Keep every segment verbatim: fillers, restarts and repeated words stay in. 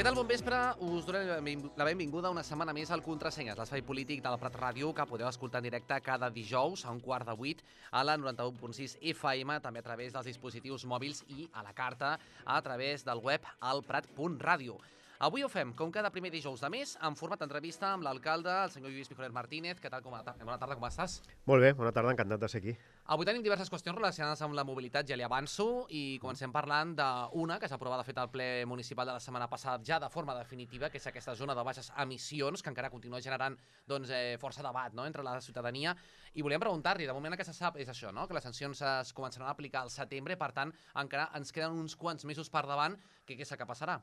tal, bon vespre? Us donem la benvinguda una setmana més al Contrasenyes, l'espai polític del Prat Ràdio, que podeu escoltar en directe cada dijous a un quart de vuit a la noranta-u punt sis F M, també a través dels dispositius mòbils i a la carta a través del web alprat punt ràdio. Avui ho fem, com cada primer dijous de mes, en format d'entrevista amb l'alcalde, el senyor Lluís Pijolet Martínez. Què tal? Bona tarda, com estàs? Molt bé, bona tarda, encantat de ser aquí. Avui tenim diverses qüestions relacionades amb la mobilitat, ja li avanço, i comencem parlant d'una que s'ha aprovat de fet al ple municipal de la setmana passada ja de forma definitiva, que és aquesta zona de baixes emissions, que encara continua generant doncs, eh, força debat, no?, entre la ciutadania. I volíem preguntar-li, de moment el que se sap és això, no?, que les sancions es començaran a aplicar al setembre, per tant, encara ens queden uns quants mesos per davant. Què és el que passarà?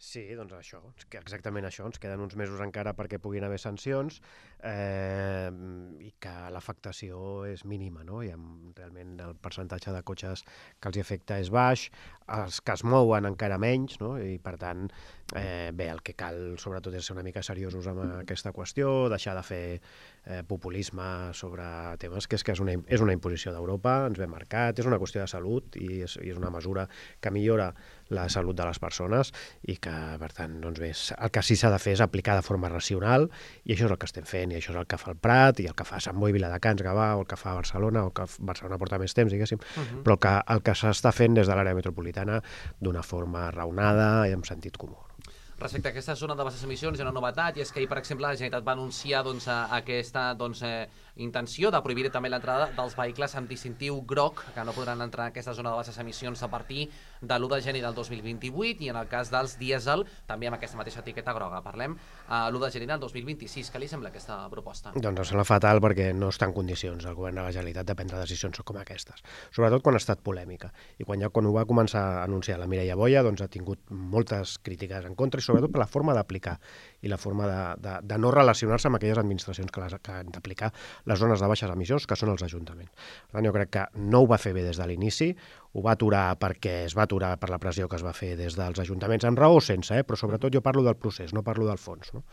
Sí, doncs això, exactament això, ens queden uns mesos encara perquè puguin haver sancions eh, i que l'afectació és mínima, no? I realment el percentatge de cotxes que els afecta és baix, els que es mouen encara menys, no? I per tant, eh, bé, el que cal sobretot és ser una mica seriosos amb aquesta qüestió, deixar de fer eh, populisme sobre temes que és que és una, és una imposició d'Europa, ens ve marcat, és una qüestió de salut i és, i és una mesura que millora la salut de les persones i que, per tant, doncs bé, el que sí s'ha de fer és aplicar de forma racional i això és el que estem fent i això és el que fa el Prat i el que fa Sant Boi, Viladecans, Gavà o el que fa Barcelona o el que Barcelona porta més temps, diguéssim, uh-huh. però el que, el que s'està fent des de l'àrea metropolitana d'una forma raonada i amb sentit comú. Respecte a aquesta zona de baixes emissions, hi ha una novetat, i és que ahir, per exemple, la Generalitat va anunciar doncs, aquesta doncs, eh, intenció de prohibir també l'entrada dels vehicles amb distintiu groc, que no podran entrar en aquesta zona de baixes emissions a partir de l'u de gener del dos mil vint-i-vuit, i en el cas dels dièsel, també amb aquesta mateixa etiqueta groga. Parlem a l'u de gener del dos mil vint-i-sis. Què li sembla aquesta proposta? Doncs em sembla fatal perquè no està en condicions el govern de la Generalitat de prendre decisions com aquestes, sobretot quan ha estat polèmica. I quan, ja, quan ho va començar a anunciar la Mireia Boia, doncs ha tingut moltes crítiques en contra i sobretot per la forma d'aplicar i la forma de, de, de no relacionar-se amb aquelles administracions que, les, que han d'aplicar les zones de baixes emissions, que són els ajuntaments. Per tant, jo crec que no ho va fer bé des de l'inici, ho va aturar perquè es va aturar per la pressió que es va fer des dels ajuntaments, amb raó o sense, eh? Però sobretot jo parlo del procés, no parlo del fons. No?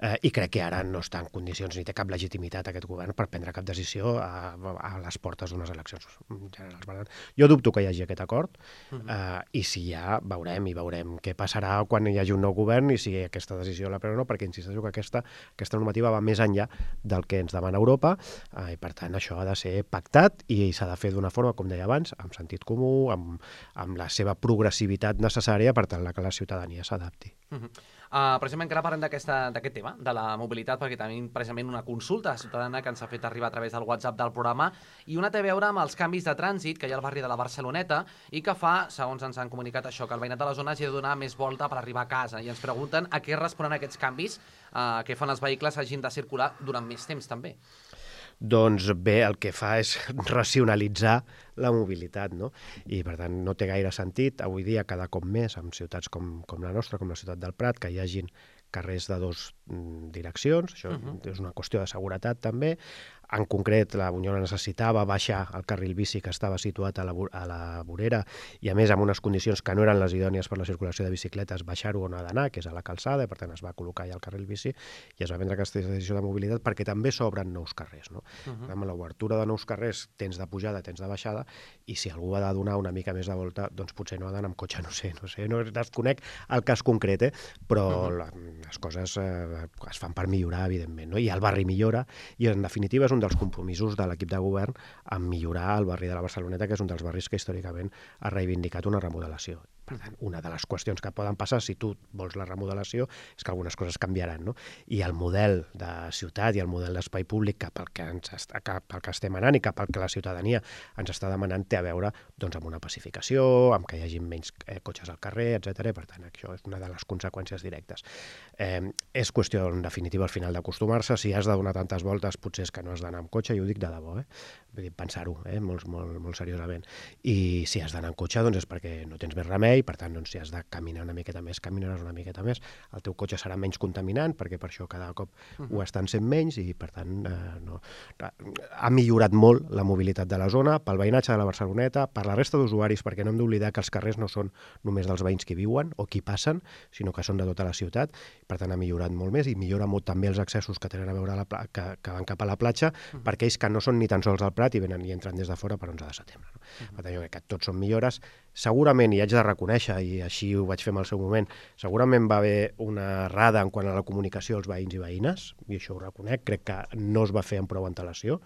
Eh, I crec que ara no està en condicions ni té cap legitimitat aquest govern per prendre cap decisió a, a les portes d'unes eleccions generals. Jo dubto que hi hagi aquest acord eh, i si hi ha, veurem i veurem què passarà quan hi hagi un nou govern i si aquesta decisió la pren o no, perquè insisteixo que aquesta, aquesta normativa va més enllà del que ens demana Europa eh, i per tant això ha de ser pactat i s'ha de fer d'una forma, com deia abans, amb sentit comú, amb, amb la seva progressivitat necessària per tal que la ciutadania s'adapti. Uh-huh. Uh, precisament que ara parlem d'aquest tema, de la mobilitat, perquè tenim precisament una consulta ciutadana que ens ha fet arribar a través del WhatsApp del programa, i una té a veure amb els canvis de trànsit que hi ha al barri de la Barceloneta i que fa, segons ens han comunicat això, que el veïnat de la zona hagi de donar més volta per arribar a casa, i ens pregunten a què responen aquests canvis uh, que fan els vehicles hagin de circular durant més temps també. Doncs bé, el que fa és racionalitzar la mobilitat, no? I per tant no té gaire sentit avui dia cada cop més en ciutats com, com la nostra, com la ciutat del Prat, que hi hagin carrers de dues direccions, això uh-huh. és una qüestió de seguretat també. En concret, la Bunyola necessitava baixar el carril bici que estava situat a la, a la vorera i, a més, amb unes condicions que no eren les idònies per la circulació de bicicletes, baixar-ho on ha d'anar, que és a la calçada, i per tant es va col·locar ja el carril bici i es va prendre aquesta decisió de mobilitat perquè també s'obren nous carrers. No? Uh-huh. Amb l'obertura de nous carrers tens de pujada, tens de baixada, i si algú ha de donar una mica més de volta, doncs potser no ha d'anar amb cotxe, no sé, no sé, no desconec el cas concret, eh? Però uh-huh. la, les coses eh, es fan per millorar, evidentment, no? I el barri millora, i en definitiva és un dels compromisos de l'equip de govern en millorar el barri de la Barceloneta, que és un dels barris que històricament ha reivindicat una remodelació. Per tant, una de les qüestions que poden passar si tu vols la remodelació és que algunes coses canviaran, no? I el model de ciutat i el model d'espai públic cap al que, ens està, cap al que estem anant i cap al que la ciutadania ens està demanant té a veure doncs, amb una pacificació, amb que hi hagi menys eh, cotxes al carrer, etcètera. Per tant, això és una de les conseqüències directes. Eh, és qüestió, en definitiva, al final d'acostumar-se. Si has de donar tantes voltes, potser és que no has d'anar amb cotxe, i ho dic de debò, eh? Vull dir, pensar-ho eh? molt, molt, molt seriosament. I si has d'anar amb cotxe, doncs és perquè no tens més remei, per tant, doncs, si has de caminar una miqueta més, caminaràs una miqueta més, el teu cotxe serà menys contaminant, perquè per això cada cop uh-huh. ho estan sent menys, i per tant eh, no. ha millorat molt la mobilitat de la zona, pel veïnatge de la Barceloneta, per la resta d'usuaris, perquè no hem d'oblidar que els carrers no són només dels veïns que viuen o qui passen, sinó que són de tota la ciutat, per tant ha millorat molt més, i millora molt també els accessos que tenen a veure a la pla- que, que van cap a la platja, uh-huh. per aquells que no són ni tan sols al Prat i venen i entren des de fora per onze de setembre. No? Uh-huh. Per tant, jo crec que tots són millores. Segurament, i haig de reconèixer reconèixer, i així ho vaig fer en el seu moment, segurament va haver una errada en quant a la comunicació als veïns i veïnes, i això ho reconec, crec que no es va fer amb prou antelació,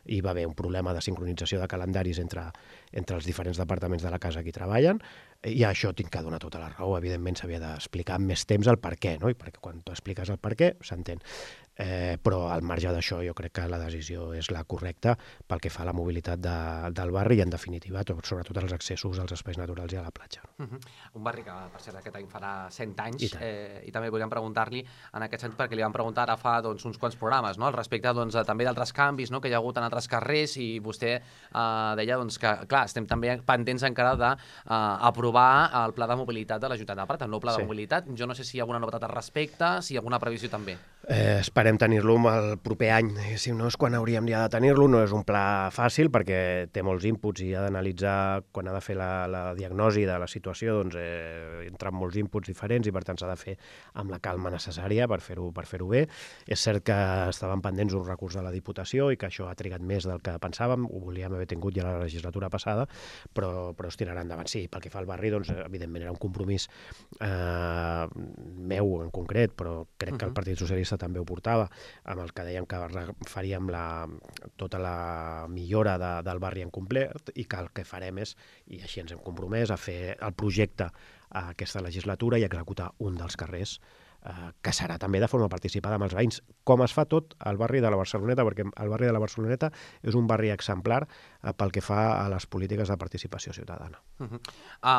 i va haver un problema de sincronització de calendaris entre, entre els diferents departaments de la casa que hi treballen, i a això tinc que donar tota la raó. Evidentment s'havia d'explicar amb més temps el per què, no? I perquè quan tu expliques el per què, s'entén. Eh, però al marge d'això jo crec que la decisió és la correcta pel que fa a la mobilitat de, del barri i en definitiva sobretot als accessos als espais naturals i a la platja. Uh -huh. Un barri que per cert aquest any farà cent anys I, eh, i també volíem preguntar-li en aquest sentit perquè li vam preguntar ara fa doncs, uns quants programes, no? Al respecte doncs, també d'altres canvis, no? Que hi ha hagut en altres carrers, i vostè eh, deia doncs, que clar, estem també pendents encara d'aprovar eh, el pla de mobilitat de l'Ajuntament de Prat, el nou pla de sí. mobilitat. Jo no sé si hi ha alguna novetat al respecte, si hi ha alguna previsió també. Eh, esperem tenir-lo el proper any, si no és quan hauríem ja de tenir-lo. No és un pla fàcil perquè té molts inputs i ha d'analitzar, quan ha de fer la, la diagnosi de la situació, doncs eh, entren molts inputs diferents i per tant s'ha de fer amb la calma necessària per fer-ho per fer-ho bé. És cert que estaven pendents un recurs de la Diputació i que això ha trigat més del que pensàvem, ho volíem haver tingut ja la legislatura passada, però, però es tirarà endavant. Sí, pel que fa al barri, doncs evidentment era un compromís eh, meu en concret, però crec que el Partit Socialista també ho portava, amb el que dèiem que faríem la, tota la millora de, del barri en complet, i que el que farem és, i així ens hem compromès, a fer el projecte a aquesta legislatura i executar un dels carrers eh, que serà també de forma participada amb els veïns, com es fa tot al barri de la Barceloneta, perquè el barri de la Barceloneta és un barri exemplar eh, pel que fa a les polítiques de participació ciutadana. Uh -huh.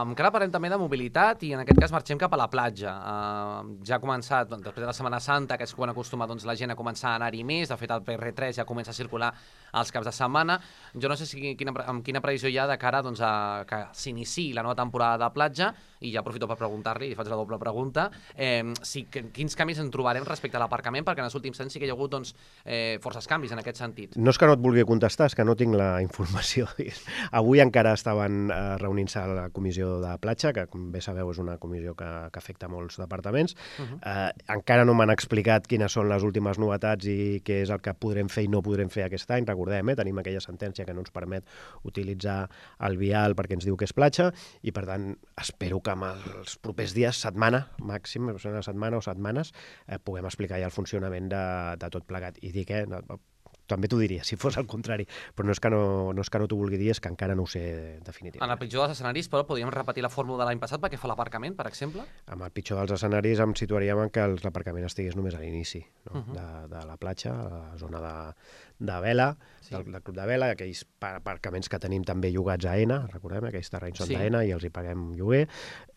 um, encara parlem també de mobilitat i en aquest cas marxem cap a la platja. Uh, ja ha començat, doncs, després de la Setmana Santa, que és quan acostuma doncs, la gent a començar a anar-hi més, de fet el P R tres ja comença a circular als caps de setmana. Jo no sé si quina, amb quina previsió hi ha de cara doncs, a que s'iniciï la nova temporada de platja, i ja aprofito per preguntar-li, i faig la doble pregunta, eh, si, que, quins canvis en trobarem respecte a l'aparcament, perquè en els últims anys sí que hi ha hagut doncs, eh, forces canvis en aquest sentit. No és que no et vulgui contestar, és que no tinc la informació. Avui encara estaven eh, reunint-se a la comissió de platja, que com bé sabeu és una comissió que, que afecta molts departaments. Uh-huh. eh, encara no m'han explicat quines són les últimes novetats i què és el que podrem fer i no podrem fer aquest any. Recordem, eh, tenim aquella sentència que no ens permet utilitzar el vial perquè ens diu que és platja, i per tant espero que en els propers dies, setmana màxim, una setmana o setmanes, eh, puguem explicar ja el funcionament de, de tot plegat. I dic, eh, no, també t'ho diria, si fos al contrari, però no és que no, no, és que no t'ho vulgui dir, és que encara no ho sé definitivament. En el pitjor dels escenaris, però, podríem repetir la fórmula de l'any passat perquè fa l'aparcament, per exemple? En el pitjor dels escenaris em situaríem en que l'aparcament estigués només a l'inici, no? Uh-huh. de, de la platja, a la zona de, de vela, sí. del, del club de vela, aquells aparcaments que tenim també llogats a ENA, recordem, aquells terrenys són sí. d'ENA i els hi paguem lloguer,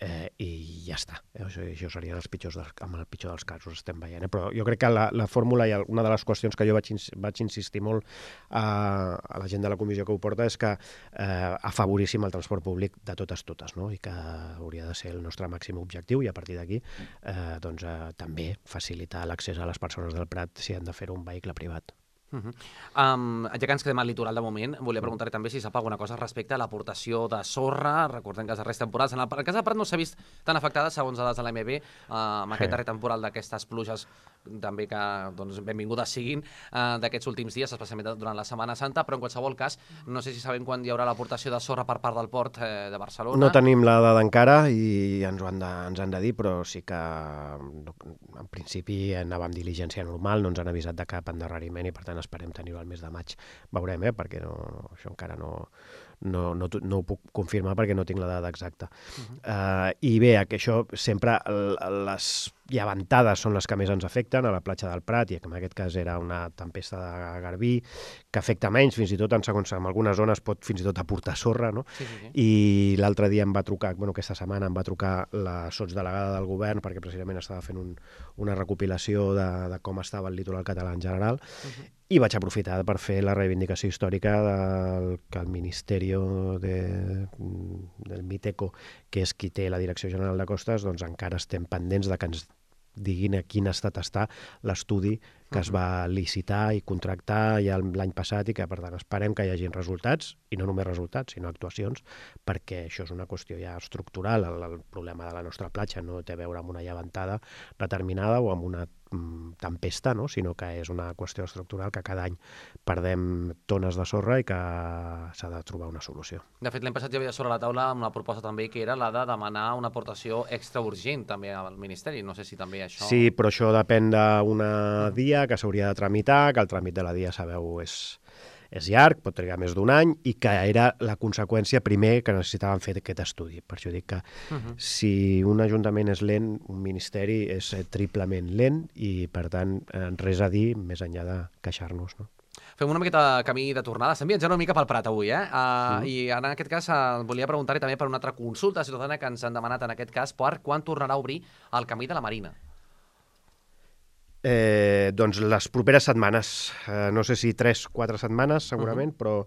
eh, i ja està. Això, això serien els pitjors dels, amb el pitjor dels casos, estem veient. Eh? Però jo crec que la, la fórmula i una de les qüestions que jo vaig, vaig insistir molt a, a la gent de la comissió que ho porta és que eh, afavoríssim el transport públic de totes totes, no? I que hauria de ser el nostre màxim objectiu, i a partir d'aquí eh, doncs, eh, també facilitar l'accés a les persones del Prat si han de fer un vehicle privat. Uh -huh. um, ja que ens quedem al litoral de moment, volia preguntar-li també si sap alguna cosa respecte a l'aportació de sorra. Recordem que les darreres temporades, en el, el cas de Prat no s'ha vist tan afectada, segons dades de l'A M B, uh, amb aquest darrer temporal d'aquestes pluges també que doncs, benvingudes siguin uh, d'aquests últims dies, especialment durant la Setmana Santa, però en qualsevol cas, no sé si sabem quan hi haurà l'aportació de sorra per part del port eh, de Barcelona. No tenim la dada encara i ens ho han de, ens han de dir, però sí que no, en principi anava amb diligència normal, no ens han avisat de cap endarreriment i per tant esperem tenir-ho al mes de maig. Veurem, eh? Perquè no, no, això encara no, no, no, no ho puc confirmar perquè no tinc la dada exacta. Uh-huh. uh, I bé, que això sempre les llevantades són les que més ens afecten a la platja del Prat, i en aquest cas era una tempesta de garbí que afecta menys, fins i tot en segons en algunes zones pot fins i tot aportar sorra, no? Sí, sí, sí. I l'altre dia em va trucar, bueno, aquesta setmana em va trucar la sotsdelegada del govern perquè precisament estava fent un, una recopilació de, de com estava el litoral català en general, uh-huh. I vaig aprofitar per fer la reivindicació històrica del que el Ministeri de, del Miteco, que és qui té la Direcció General de Costes, doncs encara estem pendents de que ens diguin a quin estat està l'estudi que es va licitar i contractar ja l'any passat i que, per tant, esperem que hi hagin resultats, i no només resultats, sinó actuacions, perquè això és una qüestió ja estructural. El, el problema de la nostra platja no té a veure amb una llevantada determinada o amb una tempesta, no? Sinó que és una qüestió estructural que cada any perdem tones de sorra i que s'ha de trobar una solució. De fet, l'any passat ja havia sobre la taula una proposta també que era la de demanar una aportació extra urgent també al Ministeri. No sé si també això... Sí, però això depèn d'una dia que s'hauria de tramitar, que el tràmit de la dia, sabeu, és, és llarg, pot trigar més d'un any, i que era la conseqüència primer que necessitaven fer aquest estudi. Per això dic que uh -huh. si un ajuntament és lent, un ministeri és triplement lent i, per tant, res a dir més enllà de queixar-nos, no? Fem una miqueta camí de tornada. Estem viatjant una mica pel Prat avui, eh? Uh, mm. I en aquest cas uh, volia preguntar-hi també per una altra consulta ciutadana que ens han demanat en aquest cas per quan tornarà a obrir el camí de la Marina. Eh, doncs les properes setmanes, eh, no sé si tres, quatre setmanes segurament, uh -huh. però,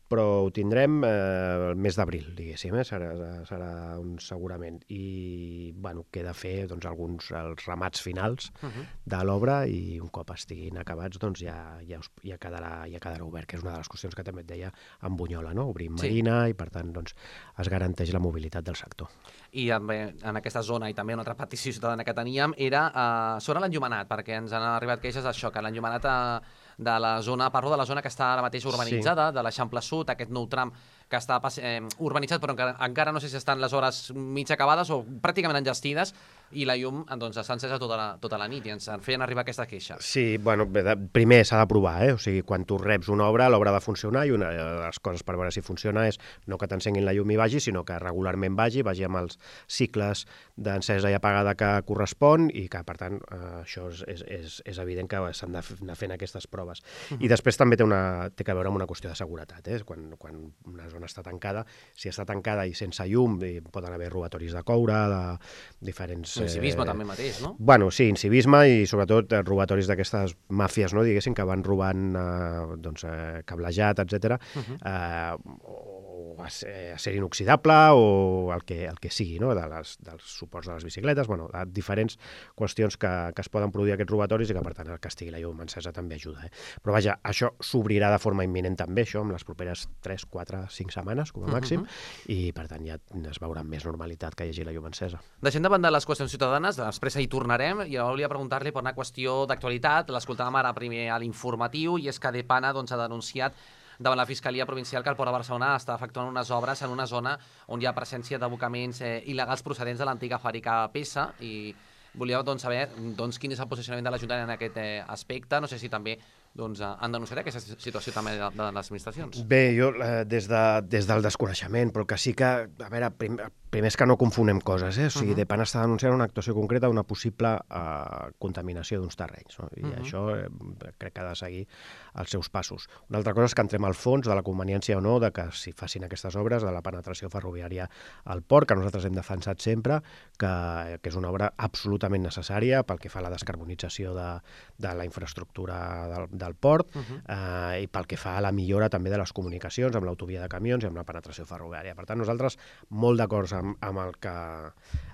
però ho tindrem eh, el mes d'abril, diguéssim, eh? serà, serà un segurament. I bueno, queda fer doncs, alguns els remats finals uh -huh. de l'obra i un cop estiguin acabats doncs, ja, ja, us, ja, quedarà, ja quedarà obert, que és una de les qüestions que també et deia en Bunyola, no? Obrim sí. Marina i per tant doncs, es garanteix la mobilitat del sector. I en, en aquesta zona, i també una altra petició ciutadana que teníem, era uh, sobre l'enllumenat, perquè ens han arribat queixes d'això, que l'enllumenat uh, de la zona, parlo de la zona que està ara mateix urbanitzada, sí. de l'Eixample Sud, aquest nou tram que està eh, urbanitzat, però encara, encara no sé si estan les hores mig acabades o pràcticament enllestides, i la llum doncs, s'ha encesa tota la, tota la nit i ens feien arribar aquesta queixa. Sí, bueno, primer s'ha de provar, eh? O sigui, quan tu reps una obra, l'obra ha de funcionar, i una de les coses per veure si funciona és no que t'encenguin la llum i vagi, sinó que regularment vagi, vagi amb els cicles d'encesa i apagada que correspon, i que, per tant, eh, això és, és, és, és evident que s'han d'anar fent aquestes proves. Uh -huh. I després també té, una, té que veure amb una qüestió de seguretat, eh? Quan, quan una zona està tancada, si està tancada i sense llum, i poden haver robatoris de coure, de diferents... Incivisme eh... també mateix, no? Bueno, sí, incivisme i sobretot eh, robatoris d'aquestes màfies, no, diguéssim, que van robant eh, doncs, eh, cablejat, etcètera, uh-huh. eh, o acer inoxidable o el que, el que sigui, no? de les, dels suports de les bicicletes, bueno, diferents qüestions que, que es poden produir aquests robatoris i que, per tant, el que estigui la llum encesa també ajuda. Eh? Però vaja, això s'obrirà de forma imminent també, això, amb les properes tres, quatre, cinc setmanes, com a màxim, uh-huh. i, per tant, ja es veurà amb més normalitat que hi hagi la llum encesa. Deixem de banda les qüestions ciutadanes, després hi tornarem, i jo volia preguntar-li per una qüestió d'actualitat. L'escoltàvem ara primer a l'informatiu, i és que Depana doncs, ha denunciat davant la Fiscalia Provincial que el Port de Barcelona està efectuant unes obres en una zona on hi ha presència d'abocaments eh, il·legals procedents de l'antiga fàbrica Pesa, i volia doncs, saber doncs, quin és el posicionament de l'Ajuntament en aquest eh, aspecte. No sé si també doncs, han denunciat aquesta situació també de, de les administracions. Bé, jo eh, des, de, des del desconeixement, però que sí que, a veure, prim, primer és que no confonem coses, eh? O sigui, uh -huh. Depana està denunciant una actuació concreta d'una possible eh, contaminació d'uns terrenys, no? I uh -huh. això eh, crec que ha de seguir els seus passos. Una altra cosa és que entrem al fons de la conveniència o no de que s'hi facin aquestes obres de la penetració ferroviària al port, que nosaltres hem defensat sempre, que, que és una obra absolutament necessària pel que fa a la descarbonització de, de la infraestructura del, del port, uh-huh. eh, i pel que fa a la millora també de les comunicacions amb l'autovia de camions i amb la penetració ferroviària. Per tant, nosaltres molt d'acord amb, amb, el que,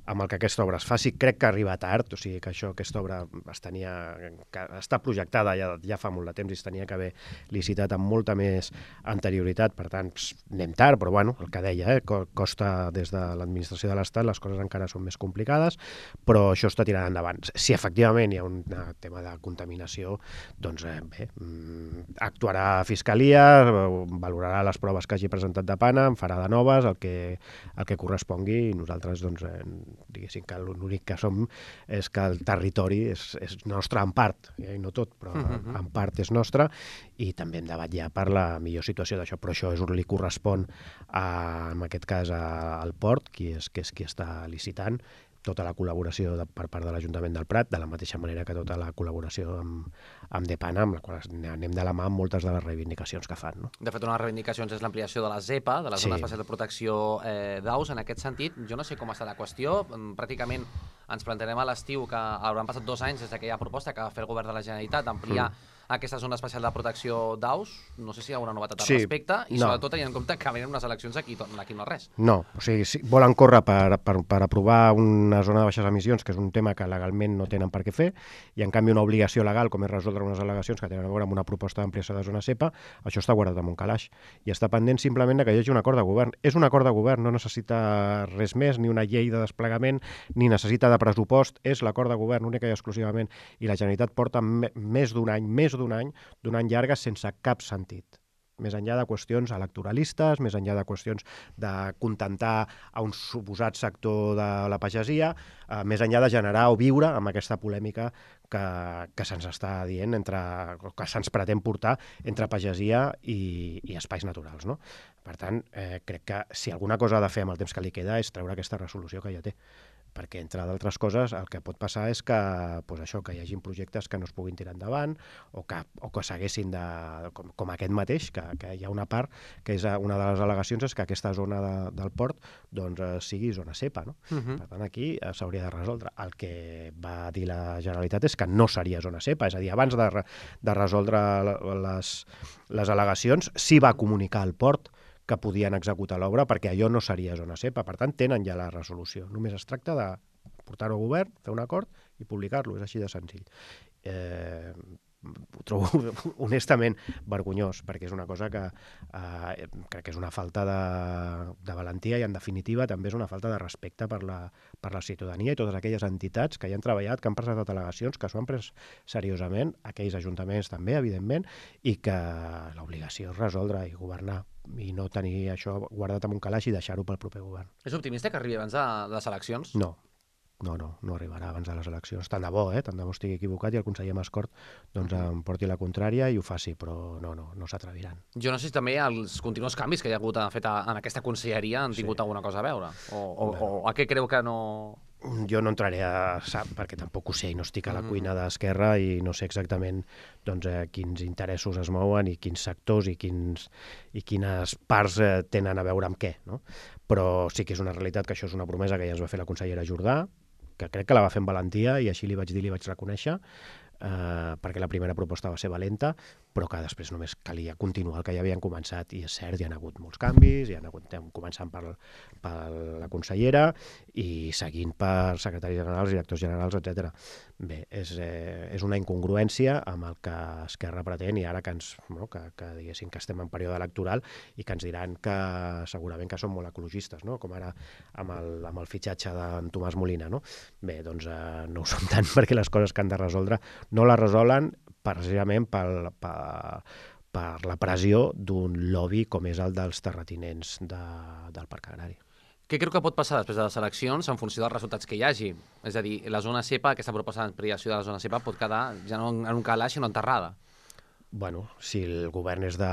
amb el que aquesta obra es faci. Crec que arriba tard, o sigui que això, aquesta obra es tenia, que està projectada ja, ja fa molt de temps i es tenia que haver licitat amb molta més anterioritat, per tant, pss, anem tard, però bueno, el que deia, eh, costa des de l'administració de l'Estat, les coses encara són més complicades, però això està tirant endavant. Si efectivament hi ha un tema de contaminació, doncs eh, bé, actuarà a Fiscalia, valorarà les proves que hagi presentat Depana, en farà de noves, el que, el que correspongui, i nosaltres, doncs, eh, diguéssim que l'únic que som és que el territori és, és nostre en part, eh, i no tot, però uh-huh. en part és nostre, i també hem de vetllar per la millor situació d'això, però això és on li correspon, a, en aquest cas, a, al port, qui és, que és qui està licitant, tota la col·laboració de, per part de l'Ajuntament del Prat, de la mateixa manera que tota la col·laboració amb, amb Depana, amb la qual anem de la mà amb moltes de les reivindicacions que fan. No? De fet, una de les reivindicacions és l'ampliació de la ZEPA, de la Zona sí. Especial de Protecció eh, d'Aus. En aquest sentit, jo no sé com està la qüestió, pràcticament ens plantarem a l'estiu que hauran passat dos anys des d'aquella proposta que va fer el Govern de la Generalitat d'ampliar mm. aquesta zona especial de protecció d'aus. No sé si hi ha una novetat al sí, respecte i no. sobretot tenint en compte que venen unes eleccions aquí, aquí no res. No, o sigui, si volen córrer per, per, per aprovar una zona de baixes emissions, que és un tema que legalment no tenen per què fer, i en canvi una obligació legal, com és resoldre unes al·legacions que tenen a veure amb una proposta d'ampliació de zona ZEPA, això està guardat en un calaix i està pendent simplement que hi hagi un acord de govern. És un acord de govern, no necessita res més, ni una llei de desplegament, ni necessita de pressupost és l'acord de govern única i exclusivament, i la Generalitat porta més d'un any, més d'un any, d'un any llarga sense cap sentit. Més enllà de qüestions electoralistes, més enllà de qüestions de contentar a un suposat sector de la pagesia, eh, més enllà de generar o viure amb aquesta polèmica que, que se'ns està dient, entre, que se'ns pretén portar entre pagesia i, i espais naturals, no? Per tant, eh, crec que si alguna cosa ha de fer amb el temps que li queda és treure aquesta resolució que ja té, perquè, entre d'altres coses, el que pot passar és que, doncs això, que hi hagi projectes que no es puguin tirar endavant o que, o que s'haguessin de... Com, com aquest mateix, que, que hi ha una part, que és una de les al·legacions, és que aquesta zona de, del port doncs, sigui zona cepa, no? Uh-huh. Per tant, aquí s'hauria de resoldre. El que va dir la Generalitat és que no seria zona cepa, és a dir, abans de, de resoldre les, les al·legacions, sí va comunicar al port que podien executar l'obra perquè allò no seria zona cepa. Per tant, tenen ja la resolució. Només es tracta de portar-ho al govern, fer un acord i publicar-lo. És així de senzill. Eh, ho trobo honestament vergonyós, perquè és una cosa que eh, crec que és una falta de, de valentia i, en definitiva, també és una falta de respecte per la, per la ciutadania i totes aquelles entitats que hi han treballat, que han presentat al·legacions, que s'ho han pres seriosament, aquells ajuntaments també, evidentment, i que l'obligació és resoldre i governar i no tenir això guardat en un calaix i deixar-ho pel proper govern. És optimista que arribi abans de les eleccions? No. No, no, no arribarà abans de les eleccions. Tant de bo, eh? Tant de bo estigui equivocat i el conseller Mascort doncs, em porti la contrària i ho faci, però no, no, no s'atreviran. Jo no sé si també els continus canvis que hi ha hagut fet en aquesta conselleria han tingut sí. alguna cosa a veure. O, o, o a què creu que no... Jo no entraré a sap, perquè tampoc ho sé i no estic a la cuina d'Esquerra i no sé exactament doncs, eh, quins interessos es mouen i quins sectors i, quins, i quines parts eh, tenen a veure amb què, no? Però sí que és una realitat que això és una promesa que ja ens va fer la consellera Jordà, que crec que la va fer amb valentia i així li vaig dir, li vaig reconèixer, eh, perquè la primera proposta va ser valenta, però que després només calia continuar el que ja havien començat, i és cert, hi ha hagut molts canvis, hi ha hagut, començant per, per la consellera i seguint per secretaris generals, directors generals, etcètera. Bé, és, eh, és una incongruència amb el que Esquerra pretén, i ara que ens, no, que, que diguéssim que estem en període electoral i que ens diran que segurament que som molt ecologistes, no? Com ara amb el, amb el fitxatge d'en Tomàs Molina, no? Bé, doncs eh, no ho som tant, perquè les coses que han de resoldre no les resolen precisament per, per, per la pressió d'un lobby com és el dels terratinents de, del Parc Agrari. Què creu que pot passar després de les eleccions en funció dels resultats que hi hagi? És a dir, la zona cepa, aquesta proposta d'ampliació de la zona cepa pot quedar ja no en un calaix sinó enterrada. Bueno, si el govern és de,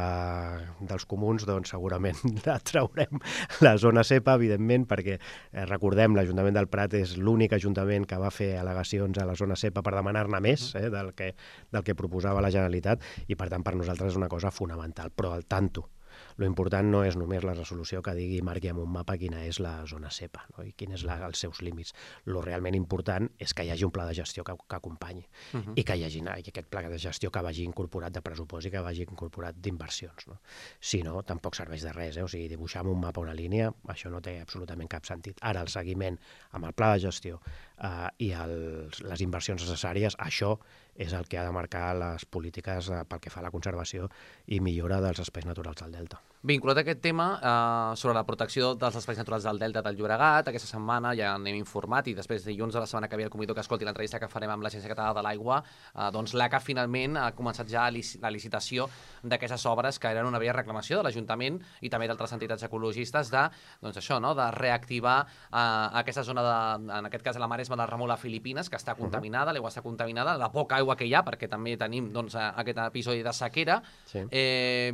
dels comuns, doncs segurament la traurem la zona cepa, evidentment, perquè eh, recordem, l'Ajuntament del Prat és l'únic ajuntament que va fer al·legacions a la zona cepa per demanar-ne més eh, del, que, del que proposava la Generalitat, i per tant per nosaltres és una cosa fonamental, però al tanto. Lo important no és només la resolució que digui, marqui amb un mapa quina és la zona cepa, no? I quins són els seus límits. Lo realment important és que hi hagi un pla de gestió que, que acompanyi uh -huh. i que hi hagi i aquest pla de gestió que vagi incorporat de pressupost i que vagi incorporat d'inversions. No? Si no, tampoc serveix de res. Eh? O sigui, dibuixar amb un mapa una línia, això no té absolutament cap sentit. Ara, el seguiment amb el pla de gestió eh, i els, les inversions necessàries, això és el que ha de marcar les polítiques eh, pel que fa a la conservació i millora dels espais naturals del Delta. Vinculat a aquest tema, eh, sobre la protecció dels espais naturals del Delta del Llobregat, aquesta setmana ja n'hem informat, i després dilluns de la setmana que ve el convido que escolti l'entrevista que farem amb l'Agència Catalana de l'Aigua, eh, doncs l'A C A finalment ha començat ja la licitació d'aquestes obres que eren una vella reclamació de l'Ajuntament i també d'altres entitats ecologistes de, doncs això, no?, de reactivar eh, aquesta zona, de, en aquest cas la Maresma del Remolà Filipines, que està contaminada, l'aigua està contaminada, la poca aigua que hi ha, perquè també tenim doncs, aquest episodi de sequera. Sí. Eh,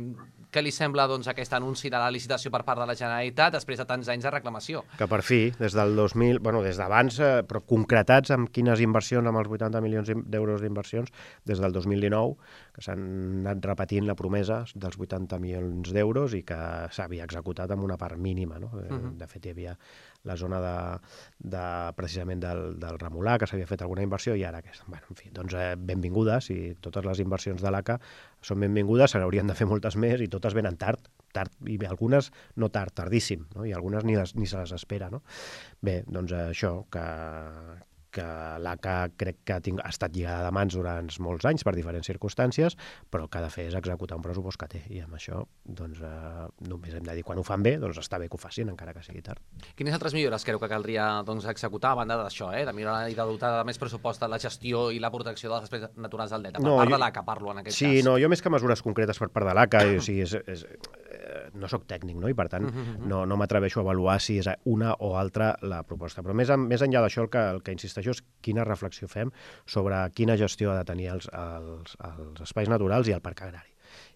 què li sembla doncs, aquest anunci de la licitació per part de la Generalitat després de tants anys de reclamació? Que per fi, des del dos mil, bueno, des d'abans, eh, però concretats amb quines inversions, amb els vuitanta milions d'euros d'inversions, des del dos mil dinou, que s'han anat repetint la promesa dels vuitanta milions d'euros i que s'havia executat amb una part mínima, no? Uh -huh. De fet, hi havia la zona de, de precisament del, del Remolà, que s'havia fet alguna inversió, i ara, bueno, en fi, doncs eh, benvingudes, i totes les inversions de l'A C A són benvingudes, se n'haurien de fer moltes més, i totes venen tard, tard, i algunes no tard, tardíssim, no? I algunes ni, les, ni se les espera, no? Bé, doncs això, que, que l'A C A crec que ha, tinc, ha estat lligada de mans durant molts anys per diferents circumstàncies, però el que ha de fer és executar un pressupost que té, i amb això doncs, eh, només hem de dir quan ho fan bé, doncs està bé que ho facin, encara que sigui tard. Quines altres millores creu que caldria doncs, executar a banda d'això, eh? de millorar i de dotar de més pressupost de la gestió i la protecció de les espècies naturals del delta? Per No, part jo- de l'A C A parlo en aquest Sí, cas. no, jo més que mesures concretes per part de l'A C A, o sigui, és, és, eh, no sóc tècnic, no? I per tant no, no m'atreveixo a avaluar si és una o altra la proposta. Però més, en, més enllà d'això, el que, el que insisteixo és quina reflexió fem sobre quina gestió ha de tenir els, els, els espais naturals i el parc agrari.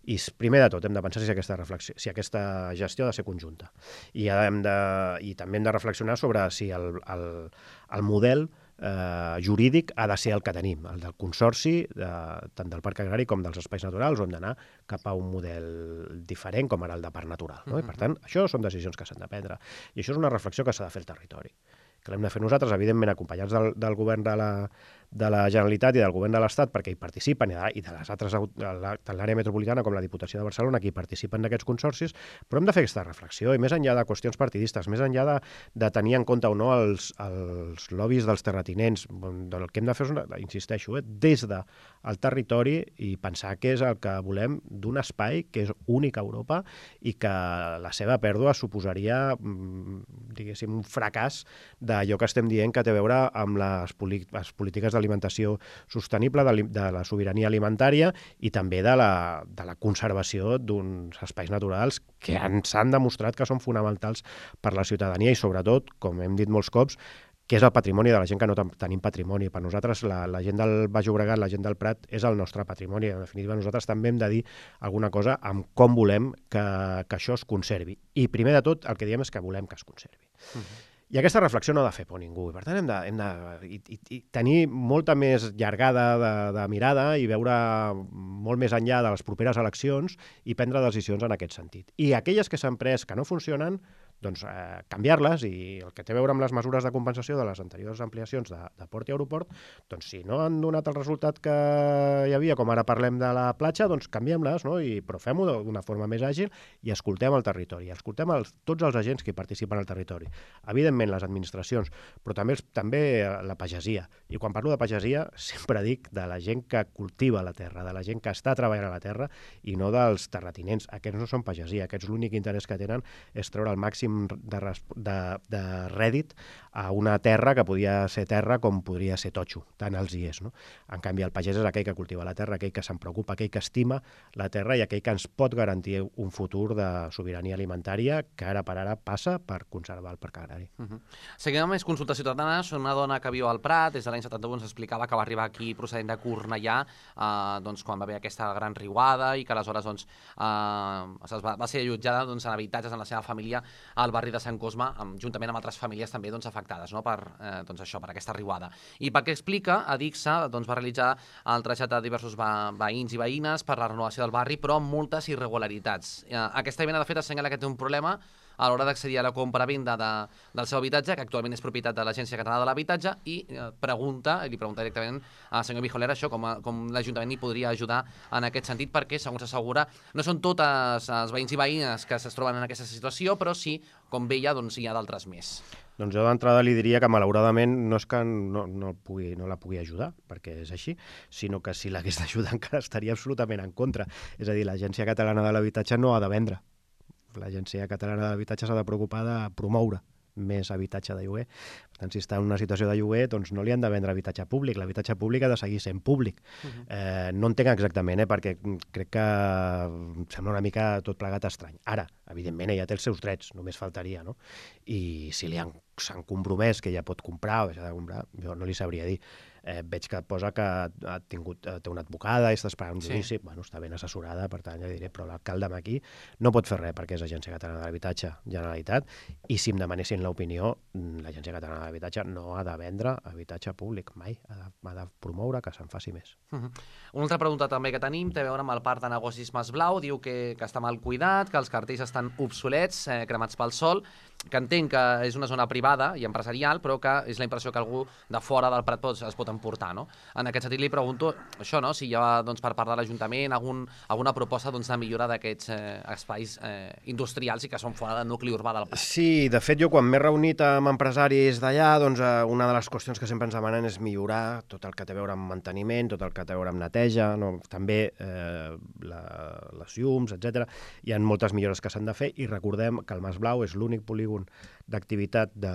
I s- primer de tot hem de pensar si aquesta, reflexió, si aquesta gestió ha de ser conjunta. I, hem de, i també hem de reflexionar sobre si el, el, el model eh, jurídic ha de ser el que tenim, el del consorci, de, tant del parc agrari com dels espais naturals, on d'anar cap a un model diferent com ara el de parc natural. No? I per tant, això són decisions que s'han de prendre. I això és una reflexió que s'ha de fer al territori, que l'hem de fer nosaltres, evidentment acompanyats del, del govern de la, de la Generalitat i del govern de l'Estat, perquè hi participen, i de, i de les altres, au- de la- tant l'àrea metropolitana com la Diputació de Barcelona, que hi participen d'aquests consorcis, però hem de fer aquesta reflexió, i més enllà de qüestions partidistes, més enllà de, de tenir en compte o no els, els lobbies dels terratinents, el que hem de fer és, una, insisteixo, eh, des del de territori i pensar que és el que volem d'un espai que és únic a Europa i que la seva pèrdua suposaria, mm, diguéssim, un fracàs d'allò que estem dient que té a veure amb les, les polítiques d'alimentació sostenible, de, de la sobirania alimentària i també de la, de la conservació d'uns espais naturals que s'han demostrat que són fonamentals per la ciutadania i sobretot, com hem dit molts cops, que és el patrimoni de la gent que no tenim patrimoni. Per nosaltres, la, la gent del Baix Llobregat, la gent del Prat, és el nostre patrimoni. En definitiva, nosaltres també hem de dir alguna cosa amb com volem que, que això es conservi. I primer de tot, el que diem és que volem que es conservi. Uh-huh. I aquesta reflexió no ha de fer por ningú. Per tant, hem de, hem de i, i, i tenir molta més llargada de, de mirada i veure molt més enllà de les properes eleccions i prendre decisions en aquest sentit. I aquelles que s'han pres que no funcionen, doncs eh, canviar-les, i el que té a veure amb les mesures de compensació de les anteriors ampliacions de, de port i aeroport, doncs si no han donat el resultat que hi havia, com ara parlem de la platja, doncs canviem-les, no? I, però fem-ho d'una forma més àgil i escoltem el territori, escoltem els, tots els agents que participen al territori. Evidentment, les administracions, però també, també la pagesia. I quan parlo de pagesia, sempre dic de la gent que cultiva la terra, de la gent que està treballant a la terra i no dels terratinents. Aquests no són pagesia, aquests l'únic interès que tenen és treure el màxim de, de, de rèdit a una terra que podia ser terra com podria ser totxo, tant els hi és. No? En canvi, el pagès és aquell que cultiva la terra, aquell que se'n preocupa, aquell que estima la terra i aquell que ens pot garantir un futur de sobirania alimentària que ara per ara passa per conservar el parc agrari. Uh -huh. Seguim amb més consultes ciutadanes. Una dona que viu al Prat, des de l'any setanta-u ens explicava que va arribar aquí procedent de Cornellà, eh, doncs, quan va haver aquesta gran riuada i que aleshores doncs, eh, es va, va ser allotjada doncs, en habitatges en la seva família al barri de Sant Cosme, amb, juntament amb altres famílies també doncs, afectades no? per, eh, doncs, això, per aquesta riuada. I pel que explica, Adixa doncs, va realitzar el trasllat de diversos ve veïns i veïnes per la renovació del barri, però amb moltes irregularitats. Eh, aquesta vivenda, de fet, assenyala que té un problema a l'hora d'accedir a la compra-venda de, del seu habitatge, que actualment és propietat de l'Agència Catalana de l'Habitatge, i eh, pregunta, i li pregunta directament al senyor Bijolera això, com, a, com l'Ajuntament hi podria ajudar en aquest sentit, perquè, segons s'assegura, no són totes els veïns i veïnes que es troben en aquesta situació, però sí, com veia, doncs hi ha d'altres més. Doncs jo d'entrada li diria que malauradament no és que no, no, pugui, no la pugui ajudar, perquè és així, sinó que si l'hagués d'ajudar encara estaria absolutament en contra. És a dir, l'Agència Catalana de l'Habitatge no ha de vendre. L'Agència Catalana de l'Habitatge s'ha de preocupar de promoure més habitatge de lloguer. Per tant, si està en una situació de lloguer, doncs no li han de vendre habitatge públic. L'habitatge públic ha de seguir sent públic. Uh-huh. eh, no entenc exactament, eh, perquè crec que em sembla una mica tot plegat estrany. Ara, evidentment, ella té els seus drets, només faltaria, no? I si li han s'han compromès que ella pot comprar o deixar de comprar, jo no li sabria dir. Eh, veig que posa que ha tingut, té una advocada i està esperant un judici, sí. Bueno, està ben assessorada, per tant ja diré, però l'alcalde aquí no pot fer res perquè és Agència Catalana de l'Habitatge, Generalitat, i si em demanessin l'opinió, l'Agència Catalana de l'Habitatge no ha de vendre habitatge públic, mai, ha de, ha de promoure que se'n faci més. Uh -huh. Una altra pregunta també que tenim té a veure amb el parc de negocis Mas Blau, diu que, que està mal cuidat, que els cartells estan obsolets, eh, cremats pel sol, que entenc que és una zona privada i empresarial, però que és la impressió que algú de fora del Prat pot, es pot emportar, no? En aquest sentit li pregunto això, no? Si hi ha, doncs, per part de l'Ajuntament algun, alguna proposta, doncs, de millora d'aquests eh, espais eh, industrials i que són fora del nucli urbà del Prat. Sí, de fet, jo quan m'he reunit amb empresaris d'allà, doncs eh, una de les qüestions que sempre ens demanen és millorar tot el que té a veure amb manteniment, tot el que té a veure amb neteja, no? També eh, la, les llums, etcètera. Hi ha moltes millores que s'han de fer i recordem que el Mas Blau és l'únic polígon d'activitat de,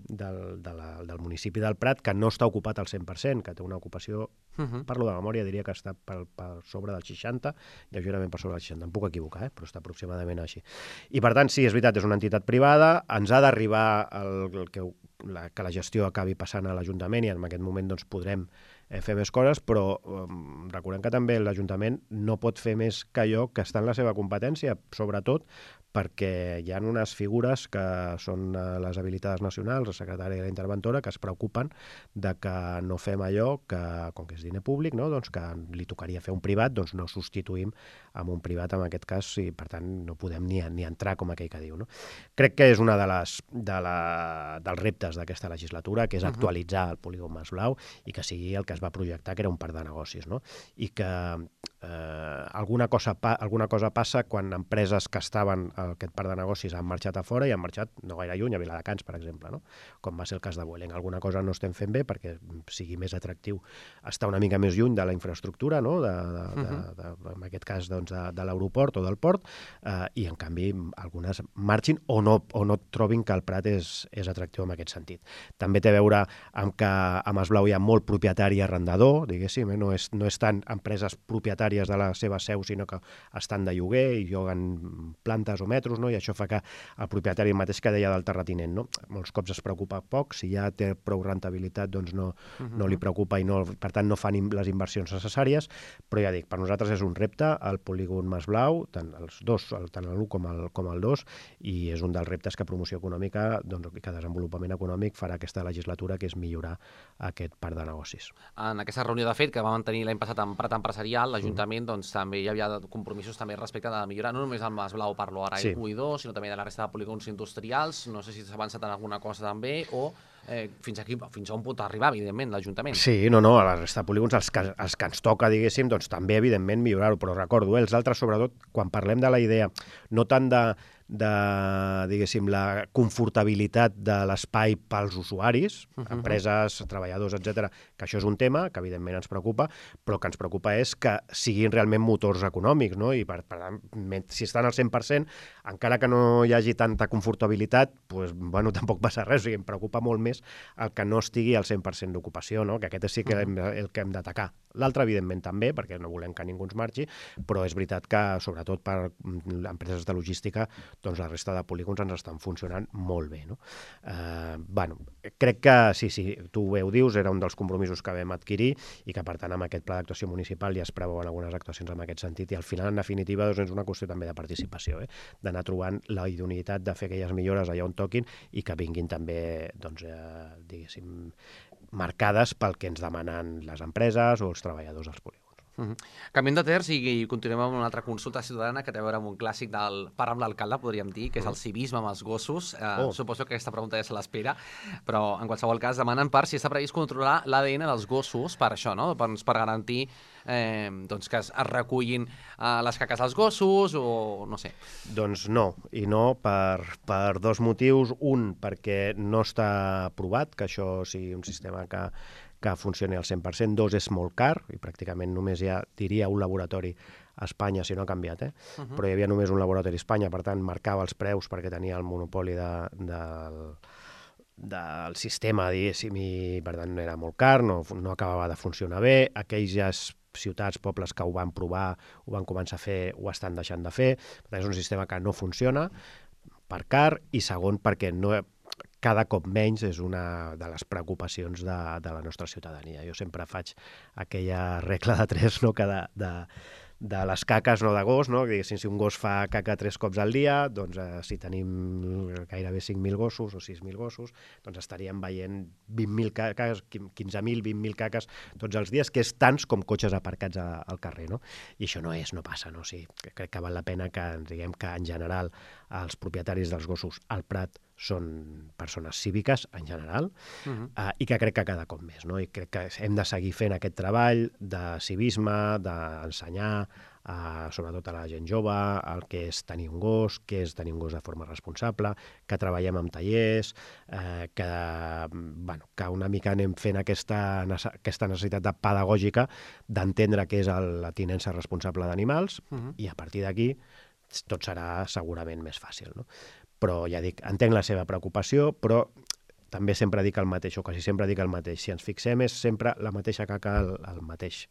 de, de la, del municipi del Prat que no està ocupat al cent per cent, que té una ocupació, uh -huh. parlo de memòria, diria que està per, per sobre del seixanta, lleugerament per sobre del seixanta, em puc equivocar, eh? Però està aproximadament així. I per tant, sí, és veritat, és una entitat privada, ens ha d'arribar el, el que, la, que la gestió acabi passant a l'Ajuntament i en aquest moment doncs, podrem eh, fer més coses, però eh, recordem que també l'Ajuntament no pot fer més que allò que està en la seva competència, sobretot perquè hi ha unes figures que són les habilitades nacionals, la secretària i la interventora, que es preocupen de que no fem allò que, com que és diner públic, no? Doncs que li tocaria fer un privat, doncs no substituïm amb un privat en aquest cas i per tant no podem ni, ni entrar com aquell que diu. No? Crec que és una de les, de la, dels reptes d'aquesta legislatura, que és actualitzar el polígon Mas Blau i que sigui el que es va projectar, que era un parc de negocis. No? I que eh, alguna, cosa pa, alguna cosa passa quan empreses que estaven aquest parc de negocis han marxat a fora i han marxat no gaire lluny, a Viladecans, per exemple, no? Com va ser el cas de Vueling. Alguna cosa no estem fent bé perquè sigui més atractiu estar una mica més lluny de la infraestructura, no? de, de, de, de, de, en aquest cas doncs, de, de l'aeroport o del port, eh, i en canvi algunes marxin o no, o no trobin que el Prat és, és atractiu en aquest sentit. També té a veure amb que a Mas Blau hi ha molt propietari i arrendador, diguéssim, eh? no, és, no és tant empreses propietàries de la seva seu, sinó que estan de lloguer i lloguen plantes o metros, no? I això fa que el propietari mateix que deia del terratinent, no? Molts cops es preocupa poc, si ja té prou rentabilitat doncs no, uh -huh. no li preocupa i no, per tant no fan les inversions necessàries, però ja dic, per nosaltres és un repte el polígon Mas Blau, tant els dos, tant l'u com el, com el dos, i és un dels reptes que promoció econòmica, doncs, que desenvolupament econòmic farà aquesta legislatura, que és millorar aquest parc de negocis. En aquesta reunió de fet que va mantenir l'any passat en Prat Empresarial, l'Ajuntament, uh -huh. doncs també hi havia compromisos també respecte de millorar, no només el Mas Blau, parlo ara, sí. u i dos, sinó també de la resta de polígons industrials. No sé si s'ha avançat en alguna cosa també, o eh, fins aquí, fins a on pot arribar, evidentment, l'Ajuntament. Sí, no, no, a la resta de polígons, els que, els que ens toca, diguéssim, doncs també, evidentment, millorar-ho, però recordo, eh, els altres, sobretot, quan parlem de la idea, no tant de de, diguéssim, la confortabilitat de l'espai pels usuaris, uh -huh. empreses, treballadors, etcètera, que això és un tema que evidentment ens preocupa, però que ens preocupa és que siguin realment motors econòmics, no? I per, per tant, si estan al cent per cent, encara que no hi hagi tanta confortabilitat, doncs, bueno, tampoc passa res, o sigui, em preocupa molt més el que no estigui al cent per cent d'ocupació, no? Que aquest sí que uh -huh. el que hem d'atacar. L'altre, evidentment, també, perquè no volem que ningú ens marxi, però és veritat que, sobretot per empreses de logística, doncs la resta de polígons ens estan funcionant molt bé. No? Eh, bueno, crec que, sí, sí, tu bé ho dius, era un dels compromisos que vam adquirir i que, per tant, amb aquest pla d'actuació municipal ja es preveuen algunes actuacions en aquest sentit i al final, en definitiva, doncs, és una qüestió també de participació, eh? D'anar trobant la idoneïtat de fer aquelles millores allà on toquin i que vinguin també, doncs, eh, diguéssim, marcades pel que ens demanen les empreses o els treballadors dels polígons. Uh -huh. Canviem de terç i continuem amb una altra consulta ciutadana que té a veure amb un clàssic del Parla amb l'alcalde, podríem dir, que és el civisme amb els gossos. Eh, oh. Suposo que aquesta pregunta ja se l'espera, però en qualsevol cas demanen per si està previst controlar l'A D N dels gossos, per això, no? Per, per garantir eh, doncs que es, es recullin eh, les caques dels gossos o no sé. Doncs no, i no per, per dos motius. Un, perquè no està aprovat que això sigui un sistema que que funcioni al cent per cent. Dos, és molt car, i pràcticament només hi ha, diria, un laboratori a Espanya, si no ha canviat, eh? Uh -huh. Però hi havia només un laboratori a Espanya, per tant, marcava els preus perquè tenia el monopoli de, de, del sistema, diguéssim, i per tant era molt car, no, no acabava de funcionar bé. Aquells ciutats, pobles que ho van provar, ho van començar a fer, ho estan deixant de fer. Per tant, és un sistema que no funciona, per car, i segon, perquè no... cada cop menys és una de les preocupacions de, de la nostra ciutadania. Jo sempre faig aquella regla de tres, no?, que de, de, de les caques, no de gos, no? Diguéssim, si un gos fa caca tres cops al dia, doncs eh, si tenim gairebé cinc mil gossos o sis mil gossos, doncs estaríem veient vint mil caques, quinze mil, vint mil caques tots els dies, que és tants com cotxes aparcats a, al carrer, no? I això no és, no passa, no? O sigui, crec que val la pena que ens diguem que en general els propietaris dels gossos al Prat són persones cíviques en general, Uh -huh. uh, i que crec que cada cop més, no? I crec que hem de seguir fent aquest treball de civisme, d'ensenyar Uh, sobretot a la gent jove, el que és tenir un gos, què és tenir un gos de forma responsable, que treballem amb tallers, uh, que, bueno, que una mica anem fent aquesta, aquesta necessitat de pedagògica d'entendre què és el, la tinença responsable d'animals, uh -huh. i a partir d'aquí tot serà segurament més fàcil, no? Però ja dic, entenc la seva preocupació, però també sempre dic el mateix, o quasi sempre dic el mateix. Si ens fixem, és sempre la mateixa caca al, al mateix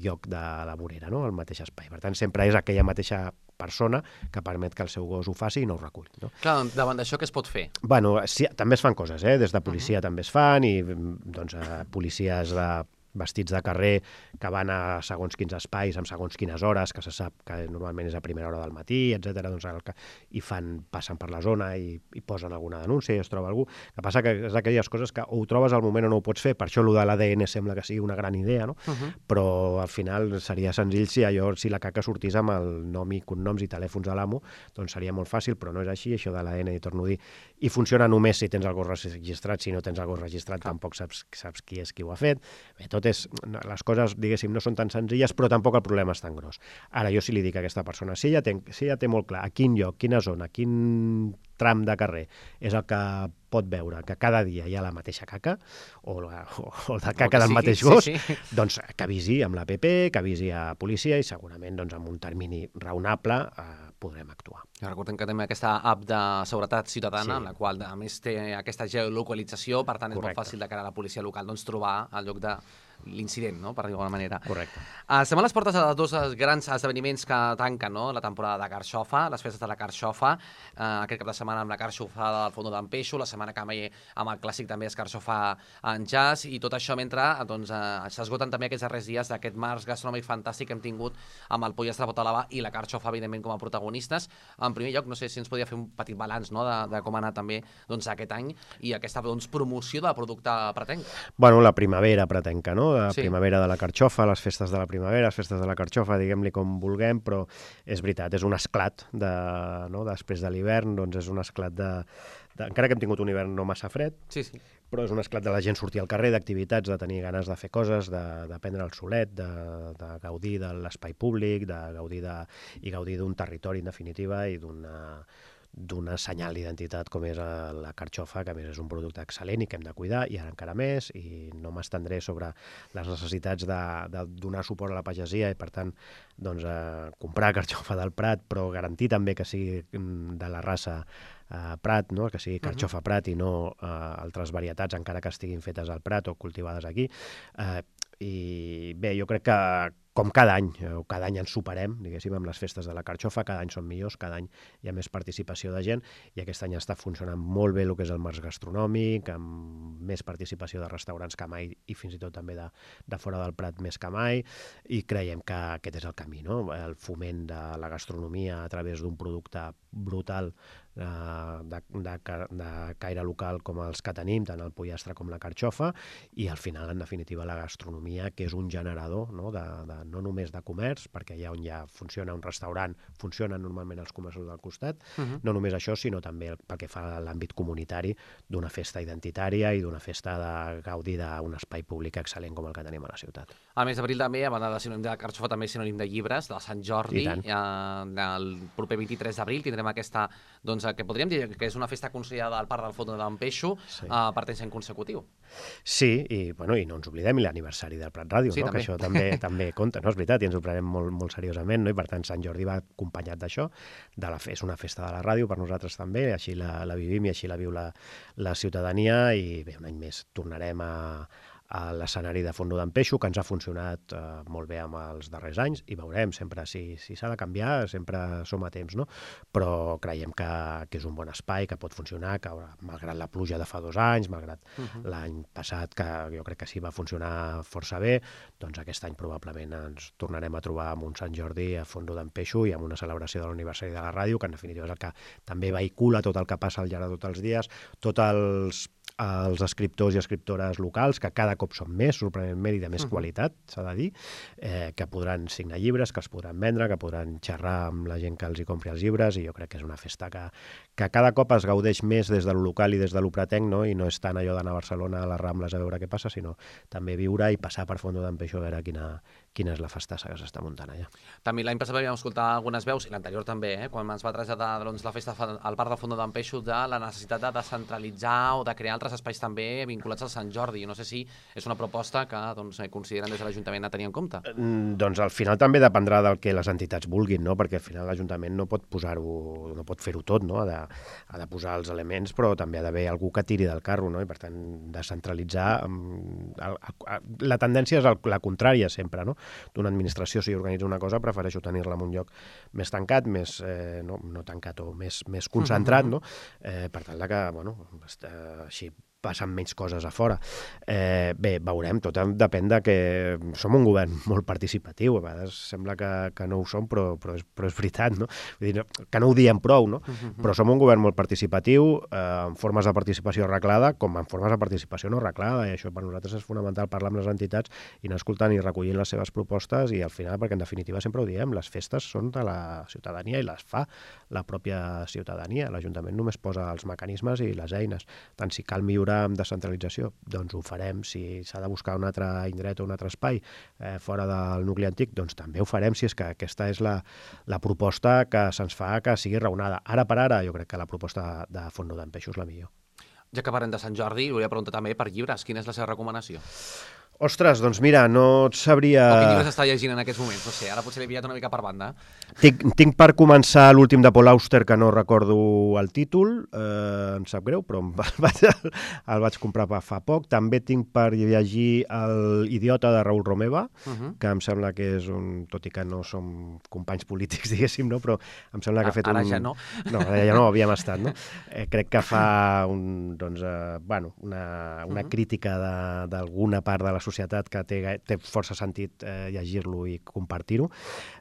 lloc de la vorera, no? Al mateix espai. Per tant, sempre és aquella mateixa persona que permet que el seu gos ho faci i no ho reculli, no? Clar, davant d'això què es pot fer? Bueno, sí, també es fan coses, eh? Des de policia uh -huh. també es fan, i doncs, eh, policies de vestits de carrer que van a segons quins espais, amb segons quines hores, que se sap que normalment és a primera hora del matí, etcètera, doncs el que, i fan, passen per la zona i, i posen alguna denúncia i es troba algú. El que passa que és d'aquelles coses que o ho trobes al moment o no ho pots fer, per això allò de l'A D N sembla que sigui una gran idea, no? Uh -huh. Però al final seria senzill si allò, si la caca sortís amb el nom i cognoms i telèfons de l'amo, doncs seria molt fàcil, però no és així, això de l'A D N, i torno a dir, i funciona només si tens el gos registrat. Si no tens el gos registrat, ah. tampoc saps, saps qui és qui ho ha fet. Bé, tot és, les coses, diguéssim, no són tan senzilles, però tampoc el problema és tan gros. Ara, jo si li dic a aquesta persona, si ella té, si ella té molt clar a quin lloc, quina zona, quin tram de carrer és el que pot veure que cada dia hi ha la mateixa caca, o la, o, o la caca del mateix gos, sí, sí. doncs que avisi amb l'A P P, que avisi a policia, i segurament doncs, amb un termini raonable eh, podrem actuar. Recordem que tenim aquesta app de seguretat ciutadana, sí. en la qual a més té aquesta geolocalització, per tant és Correcte. Molt fàcil de cara a la policia local doncs, trobar el lloc de l'incident, no? Per dir d'alguna manera. Correcte. Uh, estem a les portes de dos grans esdeveniments que tanquen, no? La temporada de Carxofa, les festes de la Carxofa, uh, aquest cap de setmana amb la Carxofa del Fondo d'en Peixo, la setmana que ve amb el clàssic també és Carxofa en jazz, i tot això mentre doncs, uh, s'esgoten també aquests darrers dies d'aquest març gastronòmic fantàstic que hem tingut amb el pollastre Botalava i la Carxofa, evidentment, com a protagonistes. En primer lloc, no sé si ens podria fer un petit balanç, no? de, de com ha anat també doncs, aquest any i aquesta doncs, promoció de producte pretenc. Bueno, la primavera pretenca, no? La sí. primavera de la Carxofa, les festes de la primavera, les festes de la Carxofa, diguem-li com vulguem, però és veritat, és un esclat de, no? després de l'hivern, doncs és un esclat de, de... encara que hem tingut un hivern no massa fred, sí, sí. però és un esclat de la gent sortir al carrer, d'activitats, de tenir ganes de fer coses, de, de prendre el solet, de, de gaudir de l'espai públic, de gaudir de, i gaudir d'un territori, en definitiva, i d'una d'una senyal d'identitat com és la Carxofa, que a més és un producte excel·lent i que hem de cuidar, i ara encara més, i no m'estendré sobre les necessitats de, de donar suport a la pagesia i, per tant, doncs, eh, comprar carxofa del Prat, però garantir també que sigui de la raça eh, Prat, no? Que sigui carxofa Prat i no eh, altres varietats, encara que estiguin fetes al Prat o cultivades aquí. Eh, I bé, jo crec que com cada any, o cada any ens superem, diguéssim, amb les festes de la Carxofa, cada any són millors, cada any hi ha més participació de gent, i aquest any està funcionant molt bé el que és el març gastronòmic, amb més participació de restaurants que mai, i fins i tot també de, de fora del Prat més que mai, i creiem que aquest és el camí, no? El foment de la gastronomia a través d'un producte brutal de, de, de caire local com els que tenim, tant el pollastre com la carxofa, i al final, en definitiva, la gastronomia, que és un generador, no, de, de, no només de comerç, perquè allà on ja funciona un restaurant, funcionen normalment els comerços del costat, uh-huh. no només això, sinó també pel que fa a l'àmbit comunitari d'una festa identitària i d'una festa de gaudir d'un espai públic excel·lent com el que tenim a la ciutat. Al mes d'abril també, a banda de sinònim de la carxofa, també és sinònim de llibres, de Sant Jordi. Eh, el proper vint-i-tres d'abril tindrem aquesta, doncs, que podríem dir que és una festa considerada al Parc del Fondo d'en Peixo, sí. eh, per temps en consecutiu. Sí, i, bueno, i no ens oblidem l'aniversari del Prat Ràdio, sí, no? Que això també també compta, no? És veritat, i ens ho prenem molt, molt seriosament, no? I per tant Sant Jordi va acompanyat d'això, de la és una festa de la ràdio per nosaltres també, així la, la vivim i així la viu la, la ciutadania, i bé, un any més tornarem a a l'escenari de Fondo d'en Peixo, que ens ha funcionat eh, molt bé amb els darrers anys, i veurem sempre si si s'ha de canviar, sempre som a temps, no? Però creiem que, que és un bon espai, que pot funcionar, que malgrat la pluja de fa dos anys, malgrat uh-huh. l'any passat, que jo crec que sí va funcionar força bé, doncs aquest any probablement ens tornarem a trobar amb un Sant Jordi a Fondo d'en Peixo i amb una celebració de l'aniversari de la ràdio, que en definitiva és el que també vehicula tot el que passa al llarg de tots els dies, tots els als escriptors i escriptores locals, que cada cop són més, sorprenentment, i de més qualitat, s'ha de dir, eh, que podran signar llibres, que els podran vendre, que podran xerrar amb la gent que els hi compri els llibres, i jo crec que és una festa que, que cada cop es gaudeix més des del local i des de l'Upratenc, no? I no és tant allò d'anar a Barcelona a les Rambles a veure què passa, sinó també viure i passar per Fondo d'en Peixo a veure quina, quina és la festassa que s'està muntant allà. També l'any passat vam escoltar algunes veus, i l'anterior també, eh, quan ens va traslladar doncs, la festa al Parc del Fondo d'en Peixo, de la necessitat de descentralitzar o de crear altres espais també vinculats al Sant Jordi. No sé si és una proposta que doncs, consideren des de l'Ajuntament a tenir en compte. Mm, doncs al final també dependrà del que les entitats vulguin, no? Perquè al final l'Ajuntament no pot posar-ho, no pot fer-ho tot, no? Ha de, ha de posar els elements, però també ha d'haver algú que tiri del carro, no? I per tant, descentralitzar... El, el, la tendència és el, la contrària sempre, no? D'una administració, si organitza una cosa, prefereixo tenir-la en un lloc més tancat, més, eh, no, no tancat o més, més concentrat, no? Eh, per tal de que, bueno, així passen menys coses a fora. Eh, bé, veurem, tot depèn de que som un govern molt participatiu, a vegades sembla que, que no ho som, però, però, és, però és veritat, no? Vull dir, que no ho diem prou, no? Uh-huh. Però som un govern molt participatiu, eh, en formes de participació arreglada, com en formes de participació no arreglada, i això per nosaltres és fonamental, parlar amb les entitats i anar escoltant i recollint les seves propostes, i al final, perquè en definitiva sempre ho diem, les festes són de la ciutadania i les fa la pròpia ciutadania. L'Ajuntament només posa els mecanismes i les eines. Tant si cal millorar amb descentralització, doncs ho farem. Si s'ha de buscar un altre indret o un altre espai eh, fora del nucli antic, doncs també ho farem, si és que aquesta és la, la proposta que se'ns fa que sigui raonada. Ara per ara, jo crec que la proposta de Fondo d'en Peixo és la millor. Ja que parlem de Sant Jordi, volia preguntar també per llibres. Quina és la seva recomanació? Ostres, doncs mira, no et sabria... O quin llibre s'està llegint en aquests moments? No sé, ara potser l'he pillat una mica per banda. Tinc, tinc per començar l'últim de Paul Auster, que no recordo el títol, eh, em sap greu, però el vaig, el vaig comprar fa poc. També tinc per llegir l'Idiota de Raül Romeva, uh-huh. que em sembla que és un... Tot i que no som companys polítics, diguéssim, no? Però em sembla que ha fet ara un... ja no. No, ara ja no, havíem estat, no? Eh, crec que fa un, doncs, eh, bueno, una, una uh-huh. crítica d'alguna part de la societat que té, té força sentit eh, llegir-lo i compartir-ho.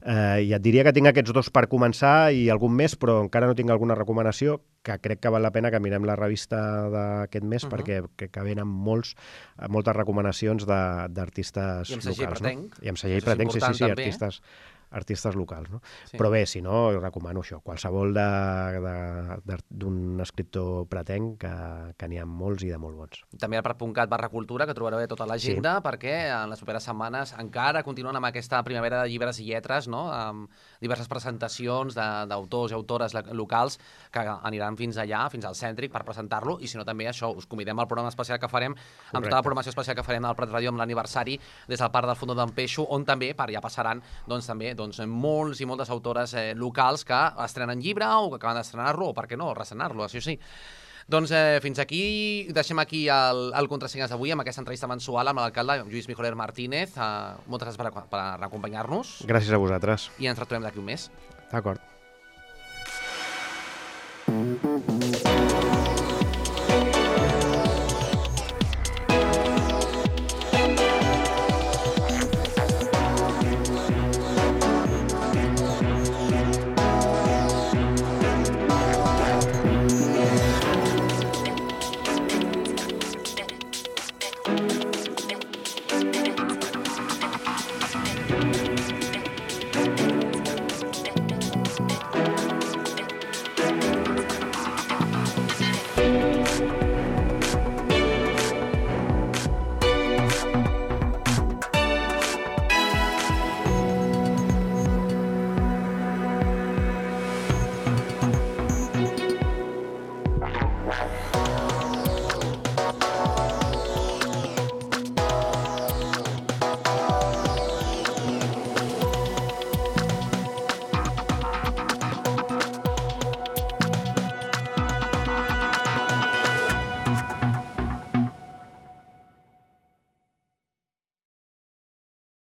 Eh, I et diria que tinc aquests dos per començar i algun més, però encara no tinc alguna recomanació, que crec que val la pena que mirem la revista d'aquest mes, uh-huh. perquè crec que venen molts, moltes recomanacions d'artistes locals. I amb segell pretenc. No? I amb segell pretenc, sí, sí, sí, també, artistes... Eh? artistes locals, no? Sí. Però bé, si no, recomano això, qualsevol d'un escriptor pretenc, que, que n'hi ha molts i de molt bons. També al Prat.cat barra cultura, que trobareu tota l'agenda, sí. perquè en les properes setmanes encara continuen amb aquesta primavera de llibres i lletres, no? Amb diverses presentacions d'autors i autores locals que aniran fins allà, fins al Cèntric, per presentar-lo, i si no també això, us convidem al programa especial que farem, Correcte. Amb tota la programació especial que farem al Prat Ràdio amb l'aniversari des del Parc del Fondo d'en Peixo, on també, per ja passaran, doncs també, doncs, molts i moltes autores eh, locals que estrenen llibre o que acaben d'estrenar-lo, o per què no, ressenar-lo, això sí. Doncs eh, fins aquí, deixem aquí el, el Contrasenyes d'avui amb aquesta entrevista mensual amb l'alcalde Lluís Mijoler Martínez. Uh, moltes gràcies per, per acompanyar-nos. Gràcies a vosaltres. I ens retrobem d'aquí un mes. D'acord.